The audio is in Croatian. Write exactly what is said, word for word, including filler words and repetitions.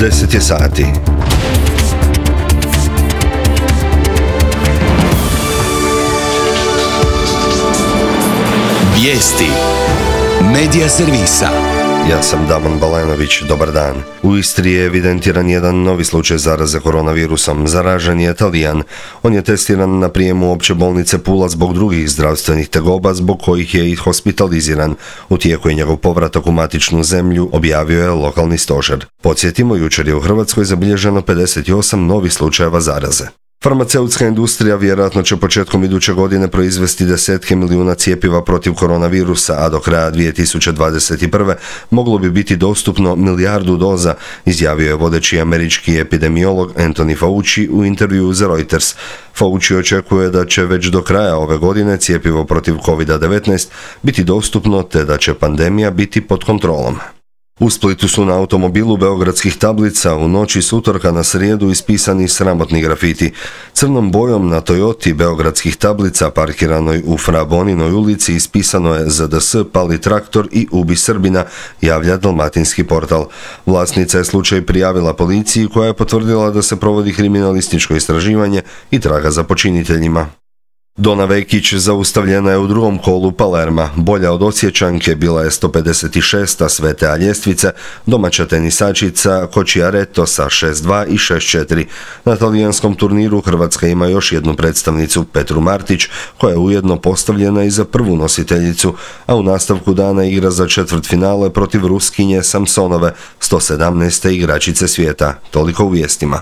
deset je sati. Vijesti Medija servisa. Ja sam Damon Balenović, dobar dan. U Istri je evidentiran jedan novi slučaj zaraze koronavirusom. Zaražen je Talijan. On je testiran na prijemu opće bolnice Pula zbog drugih zdravstvenih tegoba, zbog kojih je i hospitaliziran. U tijeku je njegov povratak u matičnu zemlju, objavio je lokalni stožer. Podsjetimo, jučer je u Hrvatskoj zabilježeno pedeset osam novih slučajeva zaraze. Farmaceutska industrija vjerojatno će početkom iduće godine proizvesti desetke milijuna cjepiva protiv koronavirusa, a do kraja dvije tisuće dvadeset prve. moglo bi biti dostupno milijardu doza, izjavio je vodeći američki epidemiolog Anthony Fauci u intervjuu za Reuters. Fauci očekuje da će već do kraja ove godine cjepivo protiv kovid devetnaest biti dostupno, te da će pandemija biti pod kontrolom. U Splitu su na automobilu beogradskih tablica u noći s utorka na srijedu ispisani sramotni grafiti. Crnom bojom na Toyoti beogradskih tablica parkiranoj u Fra Boninoj ulici ispisano je Z D S, pali traktor i ubi Srbina, javlja dalmatinski portal. Vlasnica je slučaj prijavila policiji, koja je potvrdila da se provodi kriminalističko istraživanje i traga za počiniteljima. Dona Vekić zaustavljena je u drugom kolu Palerma. Bolja od Osječanke bila je sto pedeset šesta sve te ljestvice, domaća tenisačica Cocciaretto sa šest dva i šest četiri. Na talijanskom turniru Hrvatska ima još jednu predstavnicu, Petru Martić, koja je ujedno postavljena i za prvu nositeljicu, a u nastavku dana igra za četvrtfinale protiv Ruskinje Samsonove, sto sedamnaeste igračice svijeta. Toliko u vijestima.